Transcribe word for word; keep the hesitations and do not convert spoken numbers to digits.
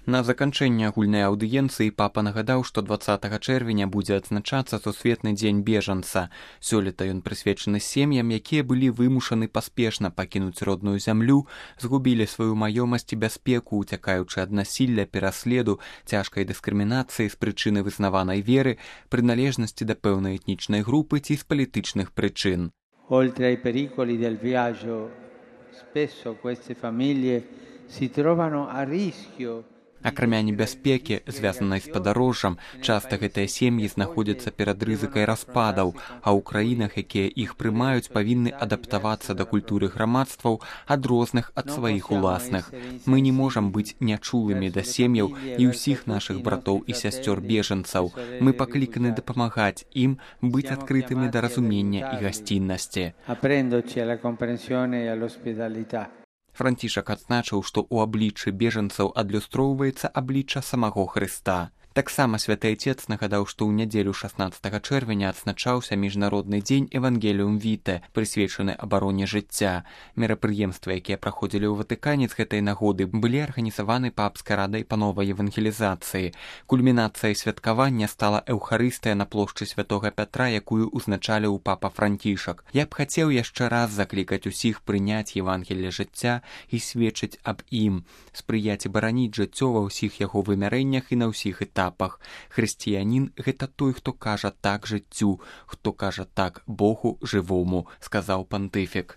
На заканчэнне агульнай аўдыенцыі папа нагадаў, што дваццатага чэрвеня будзе адзначацца сусветны дзень бежанца. Сёлета ён прысвечаны сем'ям, якія былі вымушаны паспешна пакінуць родную зямлю, згубілі сваю маёмасць і бяспеку, уцякаючы ад насілля, пераследу, цяжкай дыскрымінацыі з прычыны вызнаванай веры, прыналежнасці да пэўнай этнічнай групы ці з палітычных прычын. Oltre ai pericoli del viaggio, spesso queste famiglie si trovano a rischio. Акрамя небяспекі, звязанай з падарожжам, часта гэтыя сем'і знаходзяцца перад рызыкай распадаў, а ў краінах, якія іх прымаюць, павінны адаптавацца да культуры грамадстваў, адрозных ад сваіх уласных. Мы не можам быць нячулымі да сем'яў і ўсіх нашых братоў і сясцёр бежанцаў. Мы пакліканы дапамагаць ім быць адкрытымі да разумення і гасціннасці. Францішак адзначыў, што ў абліччы бежанцаў адлюстроўваецца аблічча самого Хрыста. Таксама святы Айцец нагадаў, што ў нядзелю шаснаццатага чэрвеня адзначаўся міжнародны дзень Евангеліум Віте, прысвечаны абароне жыцця. Мерапрыемствы, якія праходзілі ў Ватыкане з гэтай нагоды, былі арганізаваны папскай радай па новай евангелізацыі. Кульмінацыяй святкавання стала эўхарыстыя на плошчы святога Пятра, якую ўзначаліў папа Францішак. Я б хацеў яшчэ раз заклікаць усіх прыняць Евангелле жыцця і сведчыць аб ім, спрыяць і бараніць жыццё ва ўсіх яго вымярэннях і на ўсіх этапах. Хрысціянін – гэта той, хто кажа так жыццю, хто кажа так Богу жывому, сказаў пантыфік.